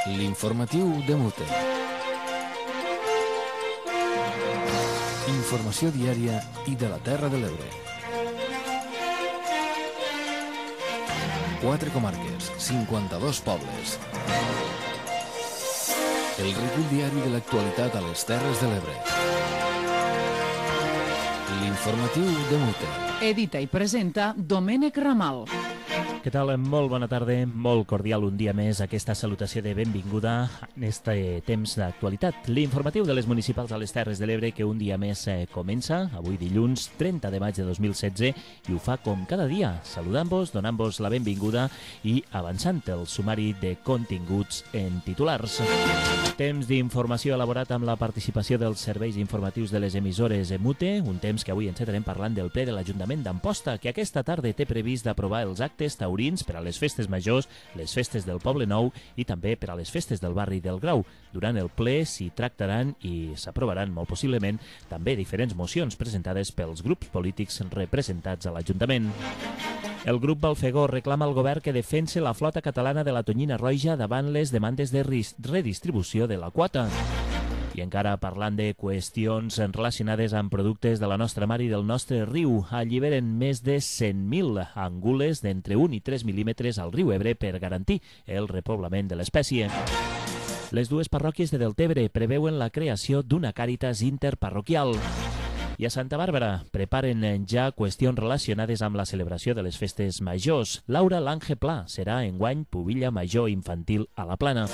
L'informatiu de Mute. Informació diària i de la Terra de l'Ebre. 4 comarques, 52 pobles. El recull diari de l'actualitat a les Terres de l'Ebre. L'informatiu de Mute. Edita i presenta Domènec Ramal. Què tal? Molt bona tarda, molt cordial un dia més aquesta salutació de benvinguda en este temps d'actualitat. L'informatiu de les municipals a les Terres de l'Ebre que un dia més comença, avui dilluns 30 de maig de 2016, i ho fa com cada dia, saludant-vos, donant-vos la benvinguda i avançant el sumari de continguts en titulars. Temps d'informació elaborat amb la participació dels serveis informatius de les emissores Mute, un temps que avui encetarem parlant del ple de l'Ajuntament d'Amposta, que aquesta tarda té previst d'aprovar els actes taurins per a les festes majors, les festes del Poble Nou i també per a les festes del barri del Grau. Durant el ple s'hi tractaran i s'aprovaran molt possiblement també diferents mocions presentades pels grups polítics representats a l'Ajuntament. El grup Balfegó reclama al govern que defense la flota catalana de la tonyina roja davant les demandes de redistribució de la quota. I encara parlant de qüestions relacionades amb productes de la nostra mar i del nostre riu, alliberen més de 100.000 angules d'entre 1 i 3 mil·límetres al riu Ebre per garantir el repoblament de l'espècie. Les dues parròquies de Deltebre preveuen la creació d'una càritas interparroquial. I a Santa Bàrbara preparen ja qüestions relacionades amb la celebració de les festes majors. Laura Lange Pla serà enguany pubilla major infantil a la Plana.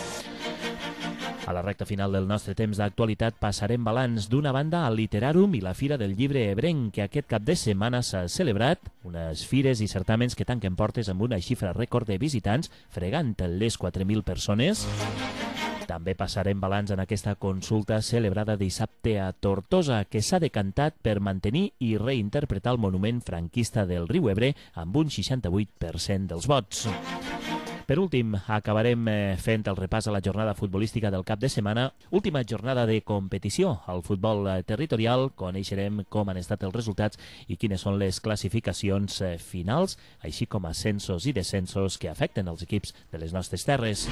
A la recta final del nostre temps d'actualitat passarem balanç d'una banda al Literàrum i la Fira del Llibre Ebrenc, que aquest cap de setmana s'ha celebrat, unes fires i certàmens que tanquen portes amb una xifra rècord de visitants, fregant les 4.000 persones. També passarem balanç en aquesta consulta celebrada dissabte a Tortosa, que s'ha decantat per mantenir i reinterpretar el monument franquista del riu Ebre amb un 68% dels vots. Per últim, acabarem fent el repàs a la jornada futbolística del cap de setmana. Última jornada de competició al futbol territorial. Coneixerem com han estat els resultats i quines són les classificacions finals, així com ascensos i descensos que afecten els equips de les nostres terres.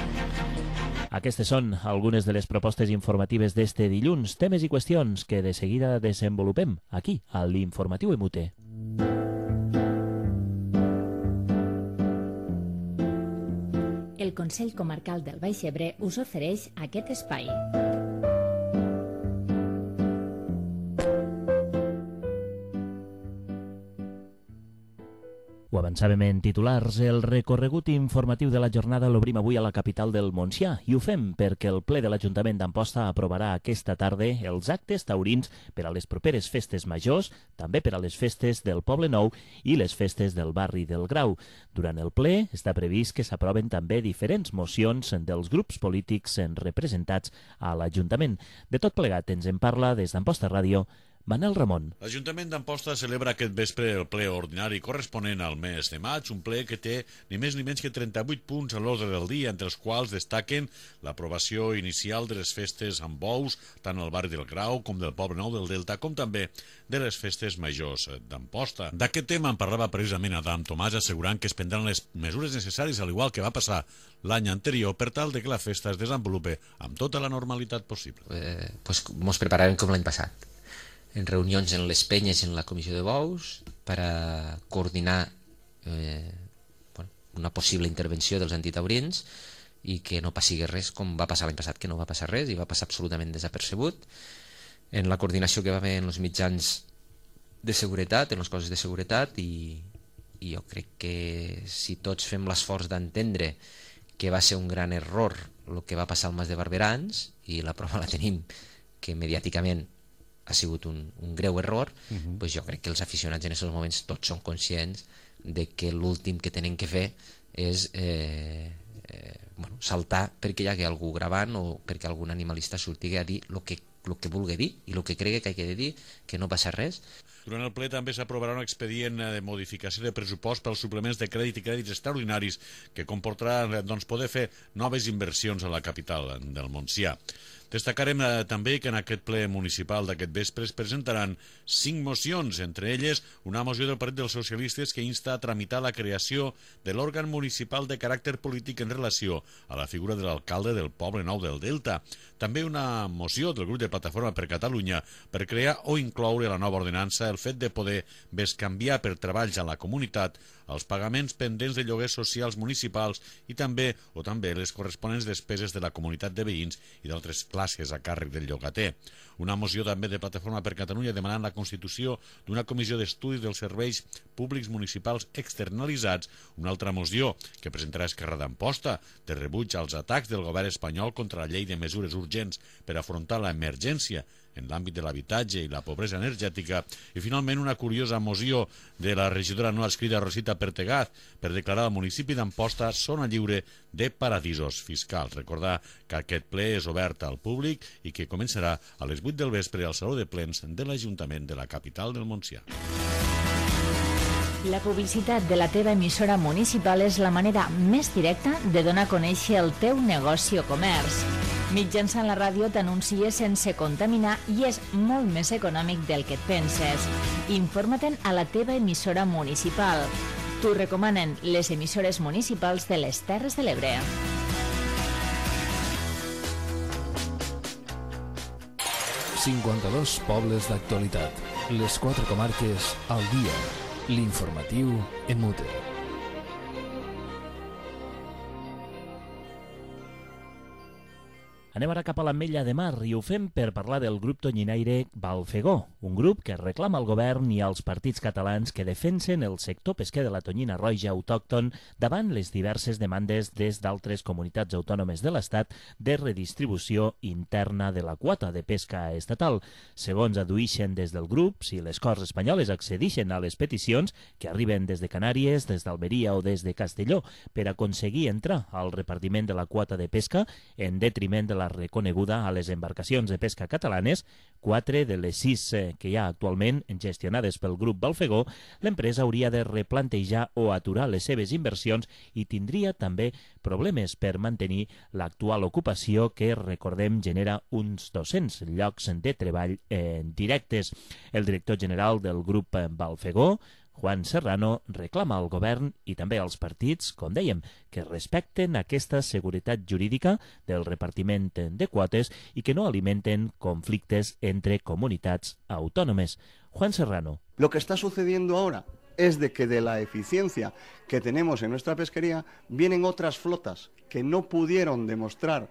Aquestes són algunes de les propostes informatives d'este dilluns, temes i qüestions que de seguida desenvolupem aquí, a l'Informatiu Mute. El Consell Comarcal del Baix Ebre us ofereix aquest espai. Ho avançàvem en titulars. El recorregut informatiu de la jornada l'obrim avui a la capital del Montsià i ho fem perquè el ple de l'Ajuntament d'Amposta aprovarà aquesta tarda els actes taurins per a les properes festes majors, també per a les festes del Poble Nou i les festes del barri del Grau. Durant el ple està previst que s'aproven també diferents mocions dels grups polítics representats a l'Ajuntament. De tot plegat ens en parla des d'Amposta Ràdio Manel Ramon. L'Ajuntament d'Amposta celebra aquest vespre el ple ordinari corresponent al mes de maig, un ple que té ni més ni menys que 38 punts a l'ordre del dia, entre els quals destaquen l'aprovació inicial de les festes amb bous, tant al barri del Grau com del Poble Nou del Delta, com també de les festes majors d'Amposta. D'aquest tema en parlava precisament Adam Tomàs, assegurant que es prendran les mesures necessàries, al igual que va passar l'any anterior, per tal de que la festa es desenvolupe amb tota la normalitat possible. Mos prepararem com l'any passat, en reunions en les penyes en la comissió de bous per a coordinar una possible intervenció dels antitaurins i que no passi res com va passar l'any passat, que no va passar res i va passar absolutament desapercebut. En la coordinació que va haver en els mitjans de seguretat, en les coses de seguretat, i jo crec que si tots fem l'esforç d'entendre que va ser un gran error el que va passar al Mas de Barberans, i la prova la tenim que mediàticament ha sigut un greu error, doncs jo crec que els aficionats en aquests moments tots són conscients de que l'últim que tenen que fer és saltar perquè hi hagi algú gravant o perquè algun animalista surti a dir el que vulgui dir i el que cregui que ha de dir, que no passa res. Durant el ple també s'aprovarà un expedient de modificació de pressupost pels suplements de crèdit i crèdits extraordinaris que comportarà poder fer noves inversions a la capital del Montsià. Destacarem també que en aquest ple municipal d'aquest vespre es presentaran 5 mocions, entre elles una moció del Partit dels Socialistes que insta a tramitar la creació de l'òrgan municipal de caràcter polític en relació a la figura de l'alcalde del Poble Nou del Delta. També una moció del grup de Plataforma per Catalunya per crear o incloure a la nova ordenança el fet de poder bescanviar per treballs a la comunitat els pagaments pendents de lloguers socials municipals i també les corresponents despeses de la comunitat de veïns i d'altres classes a càrrec del llogater. Una moció també de Plataforma per Catalunya demanant la constitució d'una comissió d'estudis dels serveis públics municipals externalitzats, una altra moció que presentarà Esquerra d'Amposta de rebuig als atacs del govern espanyol contra la llei de mesures urgents per afrontar l'emergència en l'àmbit de l'habitatge i la pobresa energètica, i finalment una curiosa moció de la regidora no adscrita Rosita Pertegaz per declarar el municipi d'Amposta zona lliure de paradisos fiscals. Recordar que aquest ple és obert al públic i que començarà a les 8 del vespre al Saló de Plens de l'Ajuntament de la capital del Montsià. La publicitat de la teva emissora municipal és la manera més directa de donar a conèixer el teu negoci o comerç. Mitjançant la ràdio t'anuncies sense contaminar i és molt més econòmic del que et penses. Informa-te'n a la teva emissora municipal. T'ho recomanen les emissores municipals de les Terres de l'Ebre. ...52 pobles d'actualitat. Les 4 comarques al dia. L'informatiu en Mute. Anem ara cap a l'Ametlla de Mar i ho fem per parlar del grup tonyinaire Balfegó, un grup que reclama al govern i als partits catalans que defensen el sector pesquer de la tonyina roja autòcton davant les diverses demandes des d'altres comunitats autònomes de l'Estat de redistribució interna de la quota de pesca estatal. Segons adduïxen des del grup, si les Corts espanyoles accedixen a les peticions que arriben des de Canàries, des d'Almeria o des de Castelló per aconseguir entrar al repartiment de la quota de pesca en detriment de la reconeguda a les embarcacions de pesca catalanes, 4 de les 6 que hi ha actualment gestionades pel grup Balfegó, l'empresa hauria de replantejar o aturar les seves inversions i tindria també problemes per mantenir l'actual ocupació que, recordem, genera uns 200 llocs de treball directes. El director general del grup Balfegó, Juan Serrano, reclama al govern i també als partits, com dèiem, que respecten aquesta seguretat jurídica del repartiment de quotes i que no alimenten conflictes entre comunitats autònomes. Juan Serrano. Lo que está sucediendo ahora es de que de la eficiencia que tenemos en nuestra pesquería vienen otras flotas que no pudieron demostrar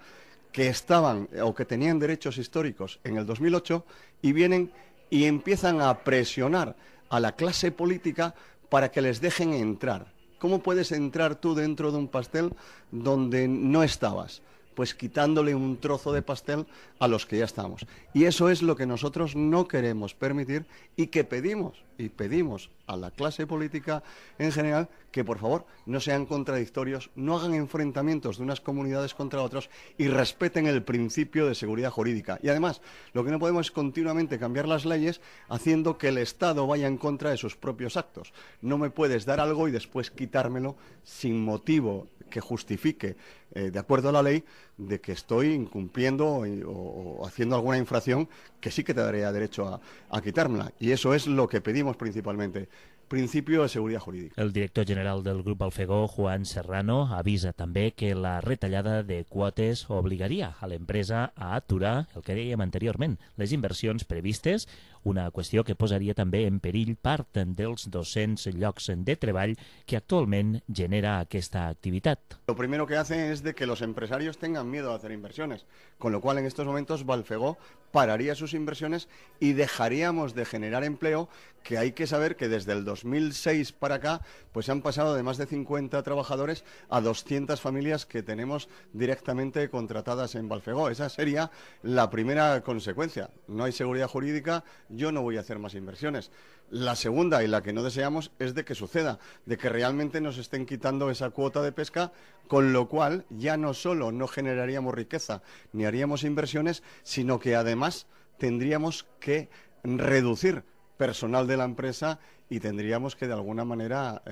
que estaban o que tenían derechos históricos en el 2008 y vienen y empiezan a presionar a la clase política para que les dejen entrar. ¿Cómo puedes entrar tú dentro de un pastel donde no estabas? Pues quitándole un trozo de pastel a los que ya estamos. Y eso es lo que nosotros no queremos permitir y que pedimos a la clase política en general que por favor no sean contradictorios, no hagan enfrentamientos de unas comunidades contra otros y respeten el principio de seguridad jurídica. Y además, lo que no podemos es continuamente cambiar las leyes haciendo que el Estado vaya en contra de sus propios actos. No me puedes dar algo y después quitármelo sin motivo que justifique, de acuerdo a la ley, de que estoy incumpliendo o haciendo alguna infracción que sí que te daría derecho a quitármela. Y eso es lo que pedimos principalmente. Principio de seguridad jurídica. El director general del grup Balfegó, Juan Serrano, avisa també que la retallada de quotes obligaria a l'empresa a aturar, el que dèiem anteriorment, les inversions previstes, una qüestió que posaria també en perill part dels 200 llocs de treball que actualment genera aquesta activitat. Lo primero que hace es de que los empresarios tengan miedo a hacer inversiones, con lo cual en estos momentos Balfegó pararía sus inversiones y dejaríamos de generar empleo, que hay que saber que desde el 2006 para acá pues han pasado de más de 50 trabajadores a 200 familias que tenemos directamente contratadas en Balfegó. Esa sería la primera consecuencia. No hay seguridad jurídica, yo no voy a hacer más inversiones. La segunda, y la que no deseamos, es de que suceda, de que realmente nos estén quitando esa cuota de pesca, con lo cual ya no solo no generaríamos riqueza ni haríamos inversiones, sino que además tendríamos que reducir personal de la empresa y tendríamos que de alguna manera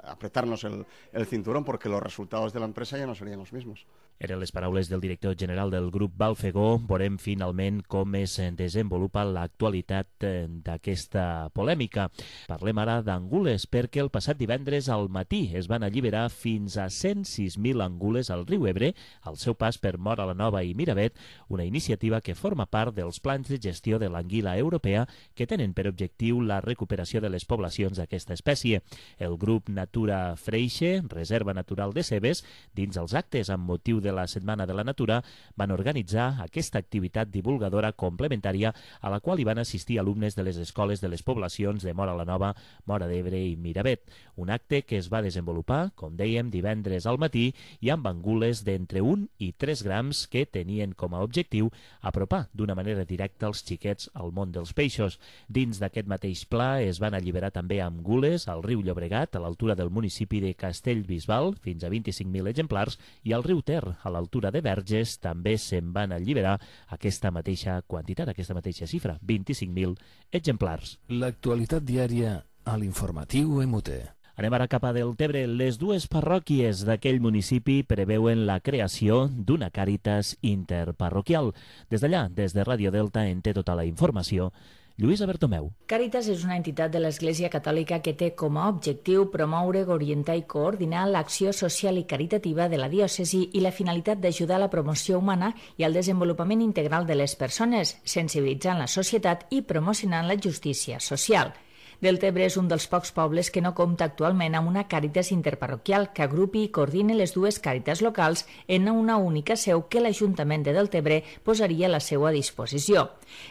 apretarnos el cinturón porque los resultados de la empresa ya no serían los mismos. Eren les paraules del director general del grup Balfegó. Veurem finalment com es desenvolupa l'actualitat d'aquesta polèmica. Parlem ara d'angules, perquè el passat divendres al matí es van alliberar fins a 106.000 angules al riu Ebre, al seu pas per Móra la Nova i Miravet, una iniciativa que forma part dels plans de gestió de l'anguila europea que tenen per objectiu la recuperació de les poblacions d'aquesta espècie. El grup Natura Freixe, Reserva Natural de Cebes, dins els actes amb motiu de la Setmana de la Natura, van organitzar aquesta activitat divulgadora complementària a la qual hi van assistir alumnes de les escoles de les poblacions de Móra la Nova, Móra d'Ebre i Miravet. Un acte que es va desenvolupar, com dèiem, divendres al matí i amb angules d'entre 1 i 3 grams que tenien com a objectiu apropar d'una manera directa els xiquets al món dels peixos. Dins d'aquest mateix pla es van alliberar també angules al riu Llobregat, a l'altura del municipi de Castellbisbal, fins a 25.000 exemplars, i al riu Ter, a l'altura de Verges, també se'n van alliberar aquesta mateixa quantitat, aquesta mateixa xifra, 25.000 exemplars. L'actualitat diària a l'informatiu MUT. Anem ara cap a Deltebre. Les dues parròquies d'aquell municipi preveuen la creació d'una Càritas interparroquial. Des d'allà, des de Ràdio Delta, en té tota la informació Lluïsa Bertomeu. Càritas és una entitat de l'Església Catòlica que té com a objectiu promoure, orientar i coordinar l'acció social i caritativa de la diòcesi i la finalitat d'ajudar a la promoció humana i al desenvolupament integral de les persones, sensibilitzant la societat i promocionant la justícia social. Deltebre és un dels pocs pobles que no compta actualment amb una Càritas interparroquial que agrupi i coordine les dues Càritas locals en una única seu que l'Ajuntament de Deltebre posaria a la seva disposició.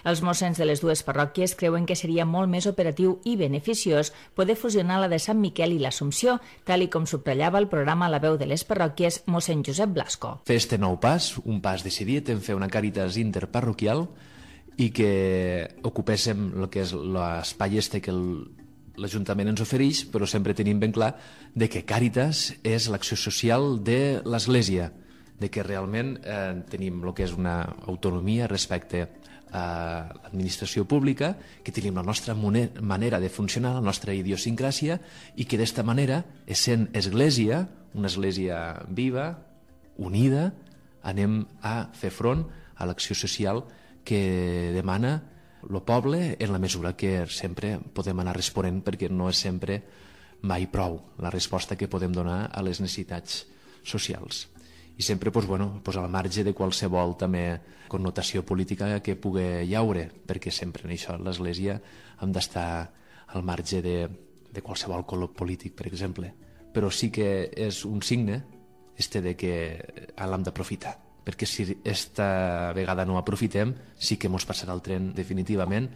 Els mossens de les dues parròquies creuen que seria molt més operatiu i beneficiós poder fusionar la de Sant Miquel i l'Assumpció, tal i com subratllava el programa La veu de les parròquies mossèn Josep Blasco. Fer este nou pas, un pas decidit en fer una Càritas interparroquial i que ocupéssim el que és l'espai este que l'Ajuntament ens ofereix, però sempre tenim ben clar de que Càritas és l'acció social de l'Església, de que realment tenim el que és una autonomia respecte a l'administració pública, que tenim la nostra manera de funcionar, la nostra idiosincràsia, i que d'esta manera, essent Església, una Església viva, unida, anem a fer front a l'acció social que demana el poble en la mesura que sempre podem anar responent, perquè no és sempre mai prou la resposta que podem donar a les necessitats socials. I sempre al marge de qualsevol també connotació política que pugui llaure, perquè sempre en això l'Església hem d'estar al marge de qualsevol color polític, per exemple. Però sí que és un signe de que l'hem d'aprofitar, perquè si esta vegada no aprofitem sí que mos passarà el tren definitivament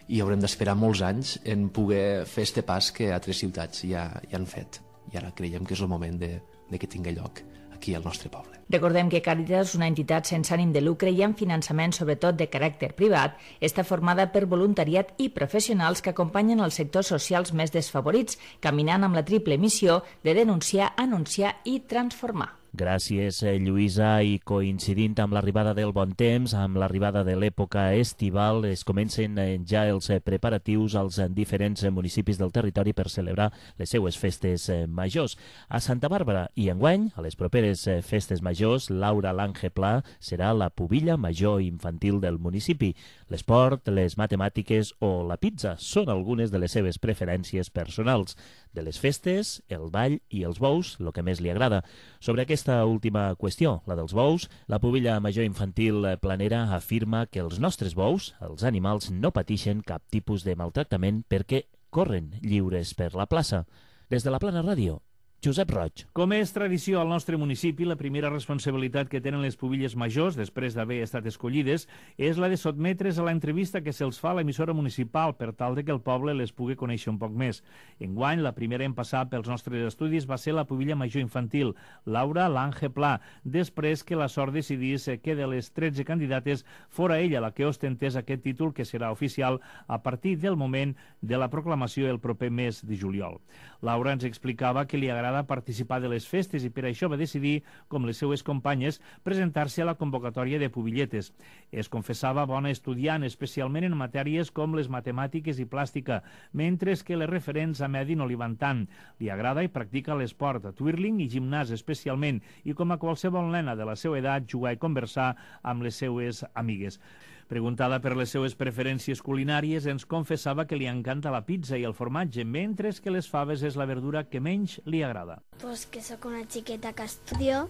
i haurem d'esperar molts anys en poder fer este pas que altres ciutats ja han fet, i ara creiem que és el moment de que tingui lloc aquí al nostre poble. Recordem que Càritas, una entitat sense ànim de lucre i amb finançament sobretot de caràcter privat, està formada per voluntariat i professionals que acompanyen els sectors socials més desfavorits, caminant amb la triple missió de denunciar, anunciar i transformar. Gràcies, Lluïsa, i coincidint amb l'arribada del bon temps, amb l'arribada de l'època estival, es comencen ja els preparatius als diferents municipis del territori per celebrar les seues festes majors. A Santa Bàrbara i enguany, a les properes festes majors, Laura Lange Pla serà la pubilla major infantil del municipi. L'esport, les matemàtiques o la pizza són algunes de les seves preferències personals. De les festes, el ball i els bous, el que més li agrada. Sobre aquesta última qüestió, la dels bous, la pubilla major infantil planera afirma que els nostres bous, els animals, no pateixen cap tipus de maltractament perquè corren lliures per la plaça. Des de la Plana Ràdio, Josep Roig. Com és tradició al nostre municipi, la primera responsabilitat que tenen les pubilles majors, després d'haver estat escollides, és la de sotmetre's a l'entrevista que se'ls fa a l'emissora municipal per tal de que el poble les pugui conèixer un poc més. Enguany, la primera en passar pels nostres estudis va ser la pubilla major infantil, Laura Lange Pla, després que la sort decidís que de les 13 candidates fora ella la que ostentés aquest títol, que serà oficial a partir del moment de la proclamació el proper mes de juliol. Laura ens explicava que li agrada agrada participar de les festes i per això va decidir, com les seues companyes, presentar-se a la convocatòria de pubilletes. Es confessava bona estudiant, especialment en matèries com les matemàtiques i plàstica, mentre que les referents a medi no li van tant. Li agrada i practica l'esport, twirling i gimnàs especialment, i com a qualsevol nena de la seva edat, jugar i conversar amb les seues amigues. Preguntada per les seues preferències culinàries, ens confessava que li encanta la pizza i el formatge, mentre que les faves és la verdura que menys li agrada. Pues que sóc una xiqueta que estudio,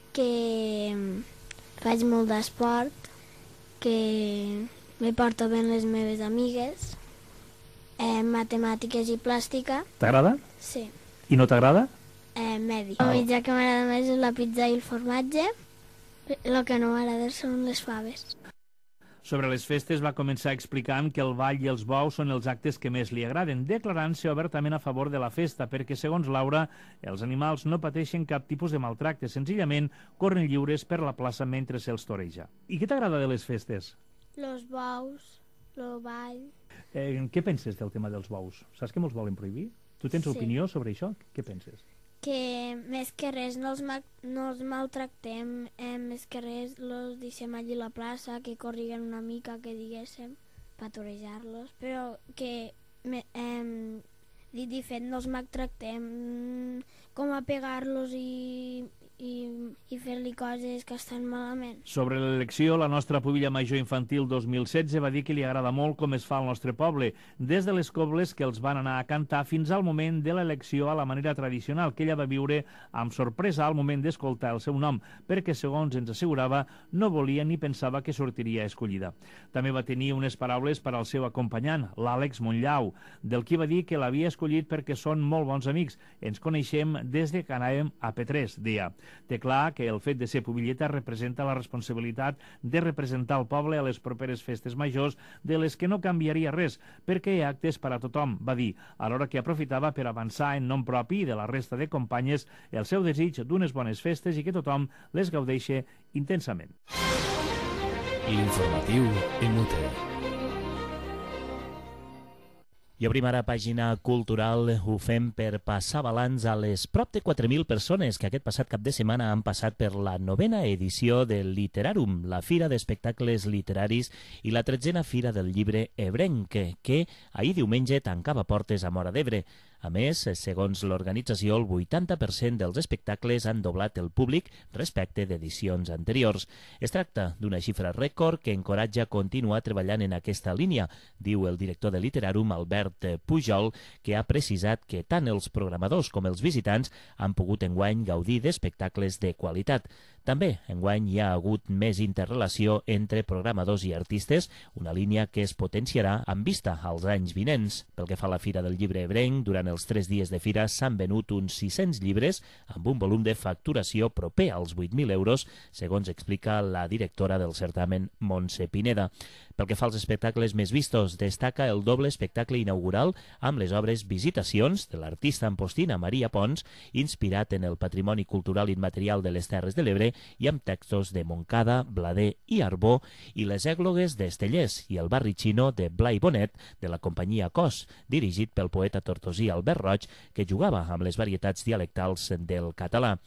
que faig molt d'esport, que me porto bé amb les meves amigues, matemàtiques i plàstica. T'agrada? Sí. I no t'agrada? Medi. El menjar que m'agrada més és la pizza i el formatge, el que no m'agrada són les faves. Sobre les festes va començar explicant que el ball i els bous són els actes que més li agraden, declarant-se obertament a favor de la festa, perquè, segons Laura, els animals no pateixen cap tipus de maltracte, senzillament corren lliures per la plaça mentre se'ls toreja. I què t'agrada de les festes? Los bous, el ball. Què penses del tema dels bous? Saps que molts volen prohibir? Tu tens opinió sobre això? Què penses? Que més que res no els maltractem, més que res els deixem allí a la plaça, que corriguen una mica, que diguéssim, per torejar-los, però que, dit i fet, no els maltractem com a pegar-los i fer-li coses que estan malament. Sobre l'elecció, la nostra pubilla major infantil 2016 va dir que li agrada molt com es fa al nostre poble, des de les cobles que els van anar a cantar fins al moment de l'elecció a la manera tradicional, que ella va viure amb sorpresa al moment d'escoltar el seu nom, perquè, segons ens assegurava, no volia ni pensava que sortiria escollida. També va tenir unes paraules per al seu acompanyant, l'Àlex Montllau, del qui va dir que l'havia escollit perquè són molt bons amics. Ens coneixem des de que anàvem a P3, deia. Té clar que el fet de ser pubilleta representa la responsabilitat de representar el poble a les properes festes majors, de les que no canviaria res, perquè hi ha actes per a tothom, va dir, alhora que aprofitava per avançar en nom propi de la resta de companyes el seu desig d'unes bones festes i que tothom les gaudeixi intensament. L'informatiu Emute. I obrim ara pàgina cultural, ho fem per passar balanç a les prop de 4.000 persones que aquest passat cap de setmana han passat per la 9a edició del Literarum, la fira d'espectacles literaris i la 13a fira del llibre ebrenc, que ahir diumenge tancava portes a Móra d'Ebre. A més, segons l'organització, el 80% dels espectacles han doblat el públic respecte d'edicions anteriors. Es tracta d'una xifra rècord que encoratja a continuar treballant en aquesta línia, diu el director de Literarum, Albert Pujol, que ha precisat que tant els programadors com els visitants han pogut enguany gaudir d'espectacles de qualitat. També, enguany, hi ha hagut més interrelació entre programadors i artistes, una línia que es potenciarà amb vista als anys vinents. Pel que fa a la Fira del Llibre Ebrenc, durant els 3 dies de fira s'han venut uns 600 llibres amb un volum de facturació proper als 8.000 euros, segons explica la directora del certamen, Montse Pineda. Pel que fa als espectacles més vistos, destaca el doble espectacle inaugural amb les obres Visitacions, de l'artista ampostina Maria Pons, inspirat en el patrimoni cultural immaterial de les Terres de l'Ebre i amb textos de Montcada, Blader i Arbó, i Les èglogues d'Estellers i el barri xino de Blai Bonet, de la companyia Cos, dirigit pel poeta tortosí Albert Roig, que jugava amb les varietats dialectals del català.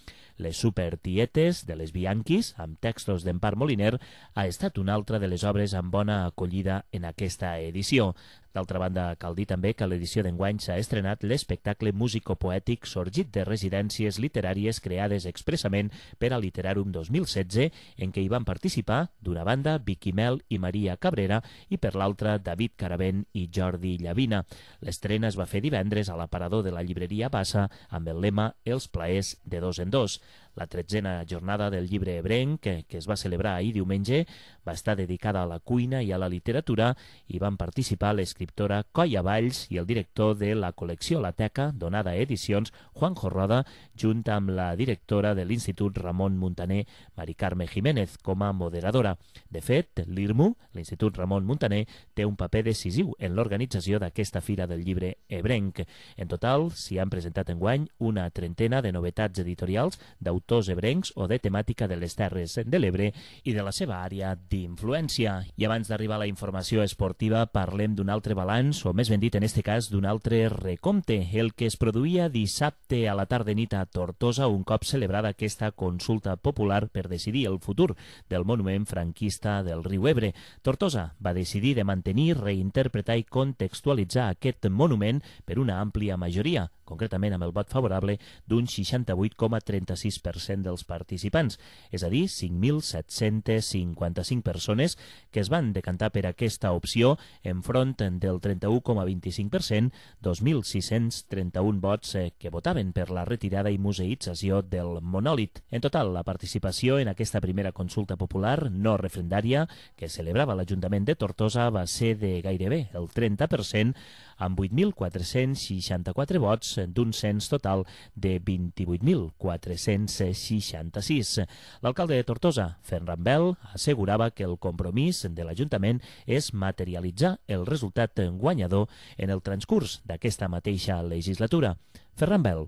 Les Supertietes, de les Bianquis, amb textos d'Empar Moliner, ha estat una altra de les obres amb bona acollida en aquesta edició. D'altra banda, cal dir també que a l'edició d'enguany s'ha estrenat l'espectacle musicopoètic sorgit de residències literàries creades expressament per a Literarum 2016, en què hi van participar, d'una banda, Vicky Mel i Maria Cabrera, i per l'altra, David Caravent i Jordi Llavina. L'estrena es va fer divendres a l'aparador de la llibreria Bassa amb el lema Els plaers de dos en dos. La 13a jornada del llibre ebrenc, que es va celebrar ahir diumenge, va estar dedicada a la cuina i a la literatura i van participar l'escriptora Coia Valls i el director de la col·lecció La Teca, donada a edicions, Juanjo Roda, junt amb la directora de l'Institut Ramon Muntaner, Mari Carme Jiménez, com a moderadora. De fet, l'IRMU, l'Institut Ramon Muntaner, té un paper decisiu en l'organització d'aquesta fira del llibre ebrenc. En total, s'hi han presentat enguany una trentena de novetats editorials d'autors d'autors ebrencs o de temàtica de les Terres de l'Ebre i de la seva àrea d'influència. I abans d'arribar a la informació esportiva parlem d'un altre balanç, o més ben dit en este cas d'un altre recompte, el que es produïa dissabte a la tarda nit a Tortosa un cop celebrada aquesta consulta popular per decidir el futur del monument franquista del riu Ebre. Tortosa va decidir de mantenir, reinterpretar i contextualitzar aquest monument per una àmplia majoria, concretament amb el vot favorable d'un 68,36% dels participants, és a dir, 5.755 persones que es van decantar per aquesta opció enfront del 31,25%, 2.631 vots que votaven per la retirada i museïtzació del monòlit. En total, la participació en aquesta primera consulta popular no referendària que celebrava l'Ajuntament de Tortosa va ser de gairebé el 30%, amb 8.464 vots d'un cens total de 28.466. L'alcalde de Tortosa, Ferran Bel, assegurava que el compromís de l'Ajuntament és materialitzar el resultat guanyador en el transcurs d'aquesta mateixa legislatura. Ferran Bel.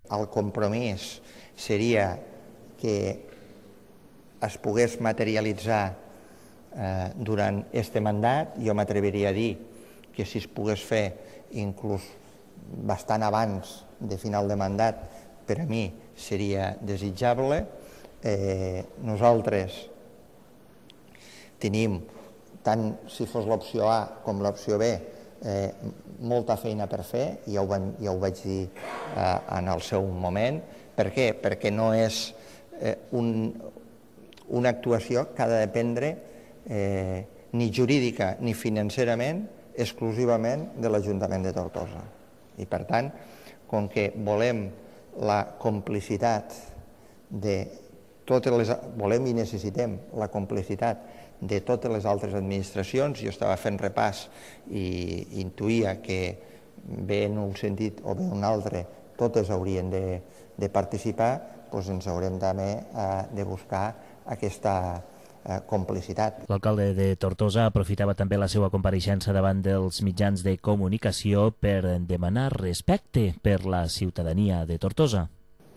El compromís seria que es pogués materialitzar durant este mandat. Jo m'atreviria a dir que si es pogués fer inclús bastant abans de final de mandat, per a mi seria desitjable. Nosaltres tenim, tant si fos l'opció A com l'opció B, molta feina per fer, ja ho vaig dir en el seu moment. Per què? Perquè no és una actuació que ha de dependre ni jurídica ni financerament exclusivament de l'Ajuntament de Tortosa. I per tant, com que volem la complicitat volem i necessitem la complicitat de totes les altres administracions, jo estava fent repàs i intuïa que bé en un sentit o bé en un altre totes haurien de participar, doncs ens haurem també de buscar aquesta complicitat. L'alcalde de Tortosa aprofitava també la seva compareixença davant dels mitjans de comunicació per demanar respecte per la ciutadania de Tortosa.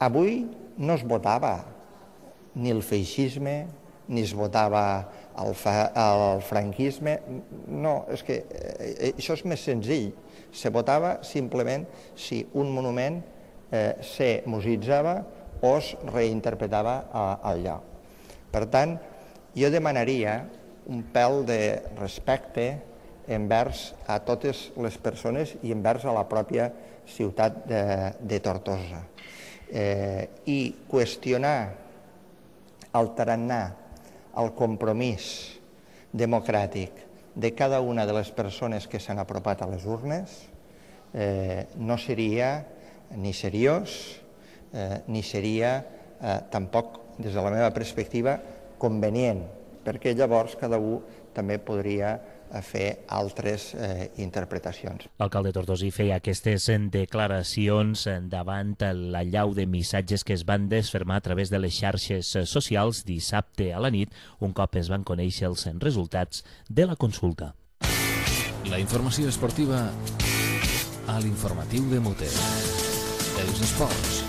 Avui no es votava ni el feixisme, ni es votava el franquisme. No, és que això és més senzill. Se votava simplement si un monument se museïtzava o es reinterpretava al lloc. Per tant, jo demanaria un pèl de respecte envers a totes les persones i envers a la pròpia ciutat de Tortosa. I qüestionar el tarannà, el compromís democràtic de cada una de les persones que s'han apropat a les urnes no seria ni seriós ni seria tampoc, des de la meva perspectiva, convenient, perquè llavors cada un també podria fer altres interpretacions. L'alcalde tortosí feia aquestes declaracions davant la llau de missatges que es van desfermar a través de les xarxes socials dissabte a la nit, un cop es van conèixer els resultats de la consulta. La informació esportiva a l'informatiu de Mote. Els esports.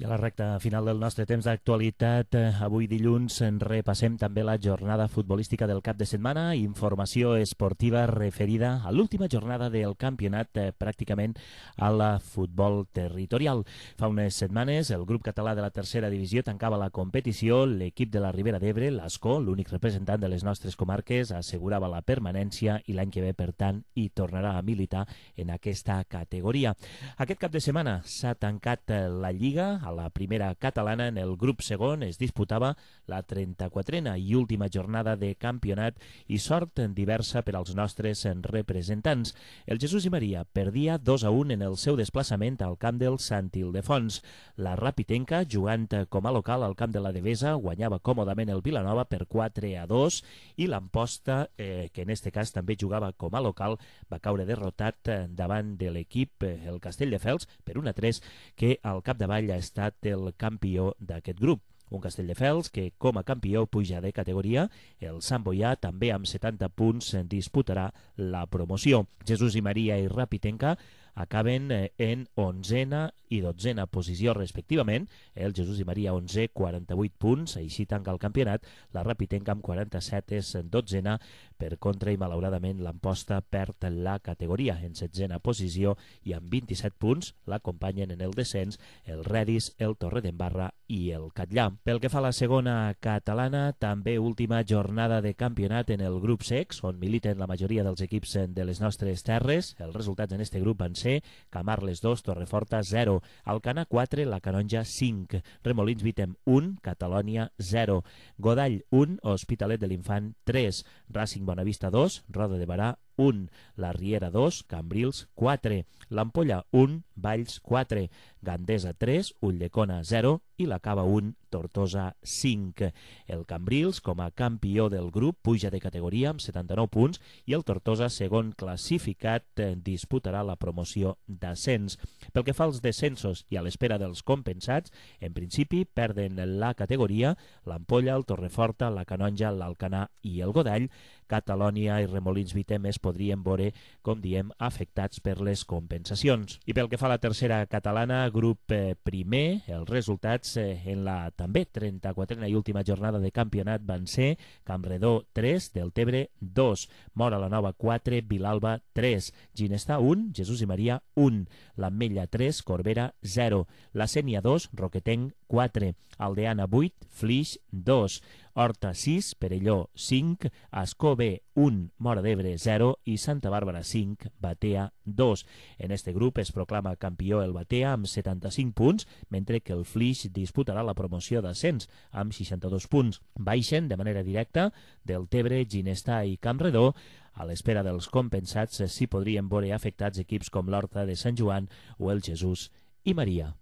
I a la recta final del nostre temps d'actualitat, avui dilluns repassem també la jornada futbolística del cap de setmana, informació esportiva referida a l'última jornada del campionat pràcticament a la futbol territorial. Fa unes setmanes el grup català de la tercera divisió tancava la competició, l'equip de la Ribera d'Ebre, l'Ascó, l'únic representant de les nostres comarques, assegurava la permanència i l'any que ve, per tant, hi tornarà a militar en aquesta categoria. Aquest cap de setmana s'ha tancat la Lliga. A la primera catalana, en el grup segon, es disputava la 34a i última jornada de campionat i sort diversa per als nostres representants. El Jesús i Maria perdia 2-1 en el seu desplaçament al camp del Sant Ildefons. La Rapitenca, jugant com a local al camp de la Devesa, guanyava còmodament el Vilanova per 4-2 i l'Amposta, que en este cas també jugava com a local, va caure derrotat davant de l'equip, el Castelldefels, per 1-3, que al capdavall ha estat el campió d'aquest grup. Un Castelldefels que, com a campió, puja de categoria. El Sant Boià, també amb 70 punts, disputarà la promoció. Jesús i Maria i Rapitenca acaben en 11a i 12a posició respectivament. El Jesús i Maria 11, 48 punts, així tanca el campionat. La Rapitenca amb 47 és 12a, per contra i malauradament l'Amposta perd la categoria en 16a posició i amb 27 punts l'acompanyen en el descens el Redis, el Torredembarra i el Catllà. Pel que fa a la segona catalana, també última jornada de campionat en el grup secs, on militen la majoria dels equips de les nostres terres. Els resultats en este grup van ser Camarles 2, Torreforta 0, Alcanar 4, la Canonja 5, Remolins Vitem 1, Catalònia 0, Godall 1, Hospitalet de l'Infant 3, Racing Bonavista 2, Roda de Barà 1, la Riera 2, Cambrils 4, l'Ampolla 1, Valls 4, Gandesa 3, Ulldecona 0 i la Cava 1, Tortosa 5. El Cambrils, com a campió del grup, puja de categoria amb 79 punts i el Tortosa, segon classificat, disputarà la promoció d'ascens. Pel que fa als descensos i a l'espera dels compensats, en principi perden la categoria l'Ampolla, el Torreforta, la Canonja, l'Alcanar i el Godall. Catalònia i Remolins Vitem es podrien veure, com diem, afectats per les compensacions. I pel que fa a la tercera catalana, grup primer, els resultats en la també 34a i última jornada de campionat van ser Campredó 3, Deltebre 2, Mora la Nova 4, Vilalba 3, Ginestà 1, Jesús i Maria 1, l'Ametlla 3, Corbera 0, la Sénia 2, Roquetenc 4, Aldeana 8, Flix 2, Horta 6, Perelló 5, Ascó B 1, Móra d'Ebre 0 i Santa Bàrbara 5, Batea 2. En este grup es proclama campió el Batea amb 75 punts, mentre que el Flix disputarà la promoció d'ascens amb 62 punts. Baixen de manera directa Deltebre, Ginestà i Campredó. A l'espera dels compensats s'hi podrien veure afectats equips com l'Horta de Sant Joan o el Jesús i Maria.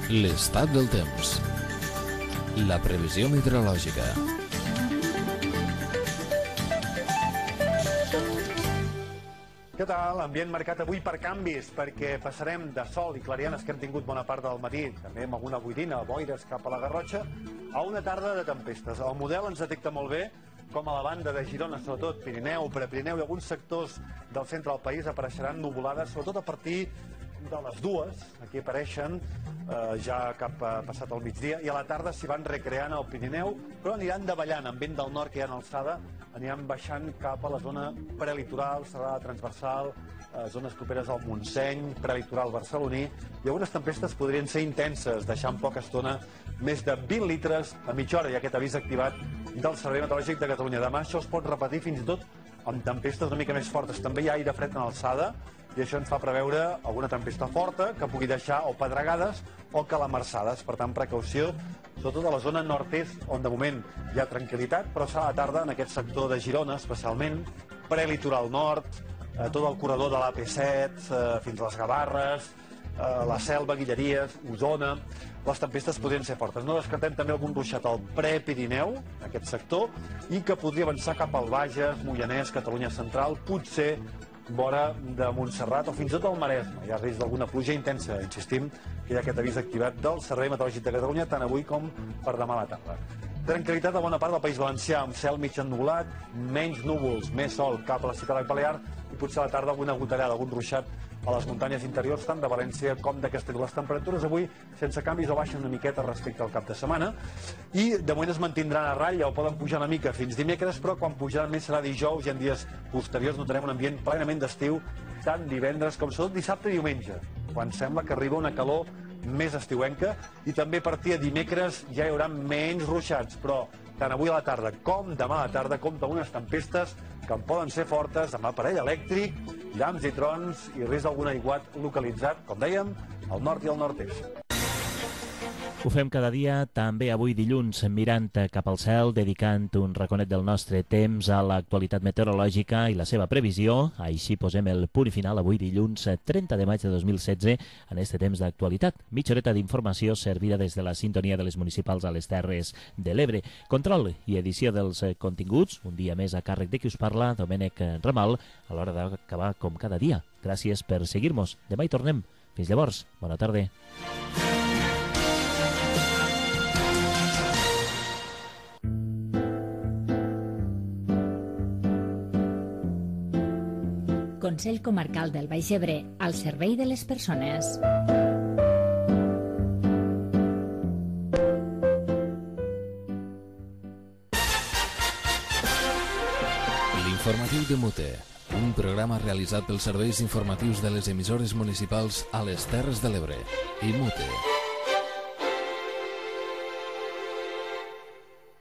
L'estat del temps. La previsió meteorològica. Què tal? Ambient marcat avui per canvis, perquè passarem de sol i clarianes que hem tingut bona part del matí, també amb alguna boirina, boires cap a la Garrotxa, a una tarda de tempestes. El model ens detecta molt bé com a la banda de Girona, sobretot Pirineu, Prepirineu i alguns sectors del centre del país apareixeran nuvolades, sobretot a partir de les 2, aquí apareixen ja cap passat el migdia, i a la tarda s'hi van recreant al Pirineu, però aniran davallant amb vent del nord que hi ha en alçada, aniran baixant cap a la zona prelitoral, serrada transversal, zones properes al Montseny, prelitoral barceloní, i algunes tempestes podrien ser intenses, deixant poca estona més de 20 litres a mitja hora, i aquest avís activat del Servei Meteorològic de Catalunya. Demà això es pot repetir fins i tot amb tempestes una mica més fortes. També hi ha aire fred en alçada, i això ens fa preveure alguna tempesta forta que pugui deixar o pedregades o calamarsades. Per tant, precaució, sobretot a la zona nord-est, on de moment hi ha tranquil·litat, però serà a la tarda en aquest sector de Girona, especialment, prelitoral nord, tot el corredor de l'AP7, fins a les Gavarres, la Selva, Guilleries, Osona. Les tempestes podrien ser fortes. No descartem també algun ruixat al Prepirineu, aquest sector, i que podria avançar cap al Bages, Moianès, Catalunya Central, potser vora de Montserrat o fins i tot al Maresme. Hi ha risc d'alguna pluja intensa. Insistim que hi ha aquest avís activat del Servei Meteorològic de Catalunya tant avui com per demà a la tarda. Tranquil·litat a bona part del País Valencià, amb cel mig ennubulat, menys núvols, més sol cap a la ciutat balear i potser a la tarda alguna gotellada, algun ruixat a les muntanyes interiors, tant de València com de Castelló. Les temperatures avui, sense canvis, o baixen una miqueta respecte al cap de setmana i de moment es mantindran a ratlla o poden pujar una mica fins dimecres, però quan pujaran més serà dijous i en dies posteriors notarem un ambient plenament d'estiu, tant divendres com sobretot dissabte i diumenge, quan sembla que arriba una calor més estiuenca, i també a partir de dimecres ja hi haurà menys ruixats, però tant avui a la tarda com demà a la tarda compta unes tempestes que en poden ser fortes, amb aparell elèctric, llamps i trons i risc d'algun aiguat localitzat, com dèiem, al nord i al nord-est. Ho fem cada dia, també avui dilluns, mirant cap al cel, dedicant un raconet del nostre temps a l'actualitat meteorològica i la seva previsió. Així posem el punt final avui dilluns 30 de maig de 2016 en este temps d'actualitat. Mitja horeta d'informació servida des de la sintonia de les municipals a les Terres de l'Ebre. Control i edició dels continguts, un dia més a càrrec de qui us parla, Domènec Ramal, a l'hora d'acabar com cada dia. Gràcies per seguir-nos. Demà hi tornem. Fins llavors, bona tarda. Consell Comarcal del Baix Ebre, al servei de les persones. L'informatiu de Mute, un programa realitzat pels serveis informatius de les emissores municipals a les Terres de l'Ebre i Mute.